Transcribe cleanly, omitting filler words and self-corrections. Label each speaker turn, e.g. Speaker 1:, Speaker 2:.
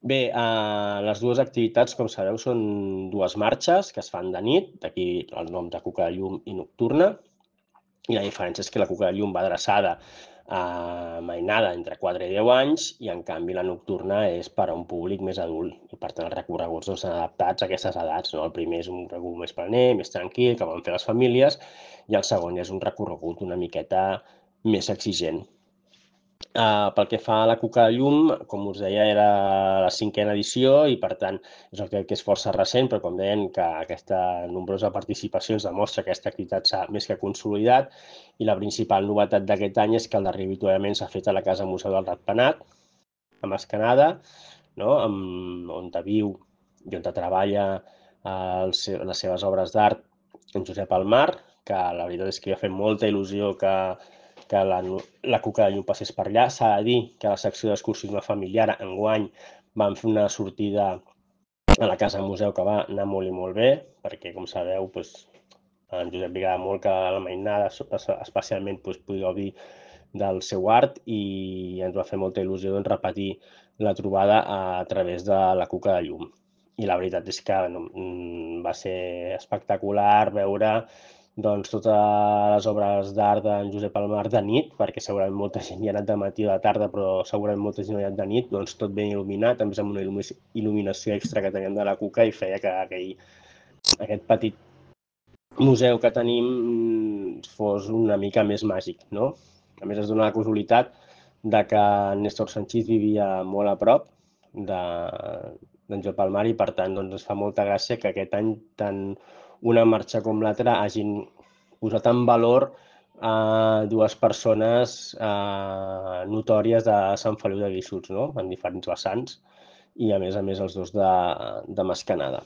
Speaker 1: Bé, les dues activitats, com sabeu, són dues marxes que es fan de nit, d'aquí el nom de Cuca de Llum i Nocturna, i la diferència és que la Cuca de Llum va adreçada a mainada entre 4 i 10 anys i, en canvi, la Nocturna és per a un públic més adult i, per tant, els recorreguts són adaptats a aquestes edats, no? El primer és un recorregut més planer, més tranquil, que van fer les famílies, i el segon és un recorregut una miqueta més exigent. Pel que fa a la Cuca de Llum, com us deia, era la 5a edició i, per tant, és el que és força recent, però com deien, que aquesta nombrosa participació ens demostra que aquesta activitat s'ha més que consolidat, i la principal novetat d'aquest any és que el darrer avituallament s'ha fet a la Casa Museu del Ratpenat, a Mascanada, no? On viu i on treballa les seves obres d'art en Josep Almar, que la veritat és que ha fet molta il·lusió que la Cuca de Llum passés per allà. S'ha de dir que la secció d'excursionisme familiar enguany van fer una sortida a la Casa Museu que va anar molt i molt bé, perquè, com sabeu, doncs, a en Josep li agrada molt que la mainada, especialment, pugui gaudir del seu art, i ens va fer molta il·lusió, doncs, repetir la trobada a través de la Cuca de Llum. I la veritat és que va ser espectacular veure, doncs, totes les obres d'art d'en Josep Almar de nit, perquè segurament molta gent hi ha anat de matí o de tarda, però segurament molta gent hi ha anat de nit, doncs tot ben il·luminat, a més amb una il·luminació extra que teníem de la Cuca, i feia que aquest petit museu que tenim fos una mica més màgic, no? A més, es dona la casualitat de que Néstor Sanchís vivia molt a prop d'en Josep Almar, i, per tant, doncs, ens fa molta gràcia que aquest any tant una marxa com l'altra hagin posat en valor dues persones notòries de Sant Feliu de Guíxols, no? En diferents vessants, i, a més, els dos de Mascanada.